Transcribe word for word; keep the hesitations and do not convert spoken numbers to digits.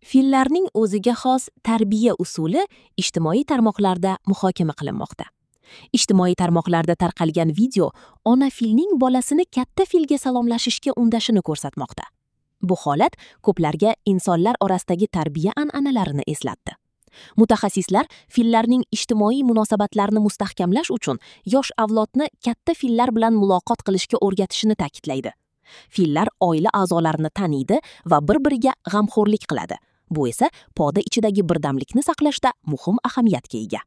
Fillarning o'ziga xos tarbiya usuli ijtimoiy tarmoqlarda muhokama qilinmoqda. Ijtimoiy tarmoqlarda tarqalgan video ona filning bolasini katta filga salomlashishga undashini ko'rsatmoqda. Bu holat ko'plarga insonlar orasidagi tarbiya an'analarini eslatdi. Mutaxassislar fillarning ijtimoiy munosabatlarni mustahkamlash uchun yosh avlodni katta fillar bilan muloqot qilishga o'rgatishini ta'kidlaydi. Fillar oila a'zolarini taniydi va bir-biriga g'amxo'rlik qiladi. Bu esa poda ichidagi birdamlikni saqlashda muhim ahamiyatga ega.